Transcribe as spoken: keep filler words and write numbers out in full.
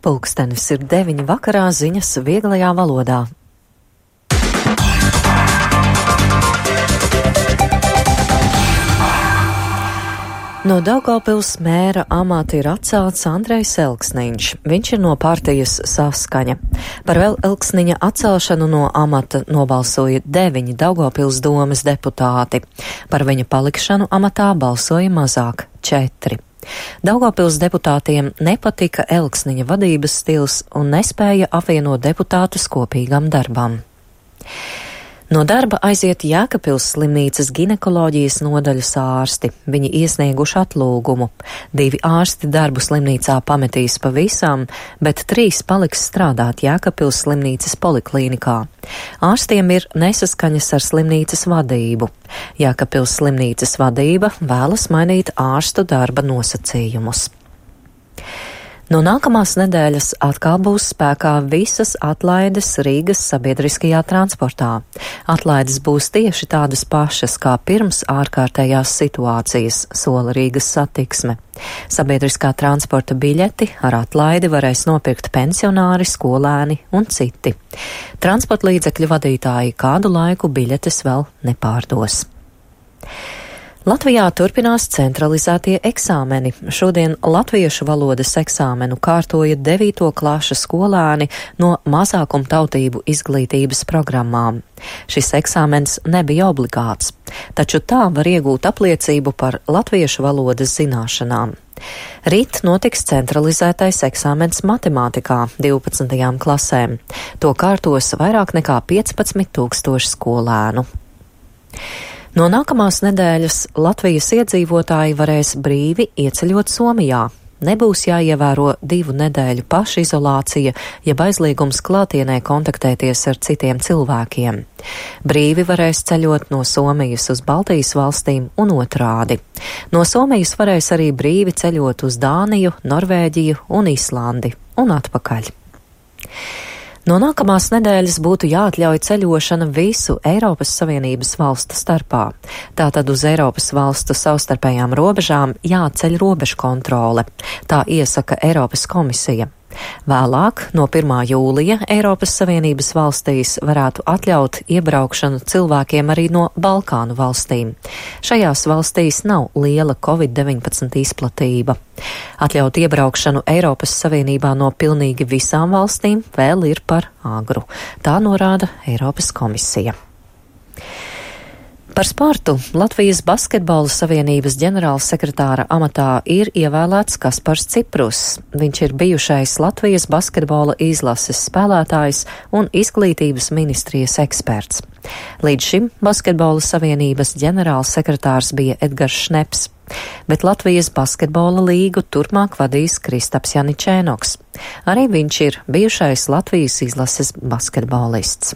Pulkstenis ir deviņi vakarā, ziņas vieglajā valodā. No Daugavpils mēra amata ir atcelts Andrejs Elksniņš. Viņš ir no partijas Saskaņa. Par vēl Elksniņa atcelšanu no amata nobalsoja deviņi Daugavpils domes deputāti. Par viņa palikšanu amatā balsoja mazāk – četri. Daugavpils deputātiem nepatika Elksniņa vadības stils un nespēja apvienot deputātus kopīgam darbam. No darba aiziet Jēkabpils slimnīcas ginekoloģijas nodaļas ārsti. Viņi iesnieguši atlūgumu. Divi ārsti darbu slimnīcā pametīs pavisam, bet trīs paliks strādāt Jēkabpils slimnīcas poliklīnikā. Ārstiem ir nesaskaņas ar slimnīcas vadību. Jēkabpils slimnīcas vadība vēlas mainīt ārstu darba nosacījumus. No nākamās nedēļas atkal būs spēkā visas atlaides Rīgas sabiedriskajā transportā. Atlaides būs tieši tādas pašas kā pirms ārkārtējās situācijas, sola Rīgas satiksme. Sabiedriskā transporta biļeti ar atlaidi varēs nopirkt pensionāri, skolēni un citi. Transporta līdzekļu vadītāji kādu laiku biļetes vēl nepārdos. Latvijā turpinās centralizētie eksāmeni. Šodien latviešu valodas eksāmenu kārtoja devīto klašu skolēni no mazākumtautību izglītības programmām. Šis eksāmens nebija obligāts, taču tā var iegūt apliecību par latviešu valodas zināšanām. Rīt notiks centralizētais eksāmens matemātikā divpadsmitajām klasēm. To kārtos vairāk nekā piecpadsmit tūkstoši skolēnu. No nākamās nedēļas Latvijas iedzīvotāji varēs brīvi ieceļot Somijā. Nebūs jāievēro divu nedēļu pašizolācija, jeb aizliegums klātienē kontaktēties ar citiem cilvēkiem. Brīvi varēs ceļot no Somijas uz Baltijas valstīm un otrādi. No Somijas varēs arī brīvi ceļot uz Dāniju, Norvēģiju un Islandi un atpakaļ. No nākamās nedēļas būtu jāatļauj ceļošana visu Eiropas Savienības valstu starpā. Tātad uz Eiropas valstu savstarpējām robežām jāceļ robežu kontrole. Tā iesaka Eiropas komisija. Vēlāk, no pirmā jūlija, Eiropas Savienības valstīs varētu atļaut iebraukšanu cilvēkiem arī no Balkānu valstīm. Šajās valstīs nav liela covid deviņpadsmit izplatība. Atļaut iebraukšanu Eiropas Savienībā no pilnīgi visām valstīm vēl ir par agru. Tā norāda Eiropas komisija. Par sportu Latvijas basketbola savienības ģenerālsekretāra amatā ir ievēlēts Kaspars Ciprus. Viņš ir bijušais Latvijas basketbola izlases spēlētājs un izglītības ministrijas eksperts. Līdz šim basketbola savienības ģenerālsekretārs bija Edgars Šneps, bet Latvijas basketbola līgu turpmāk vadīs Kristaps Janičēnoks. Arī viņš ir bijušais Latvijas izlases basketbolists.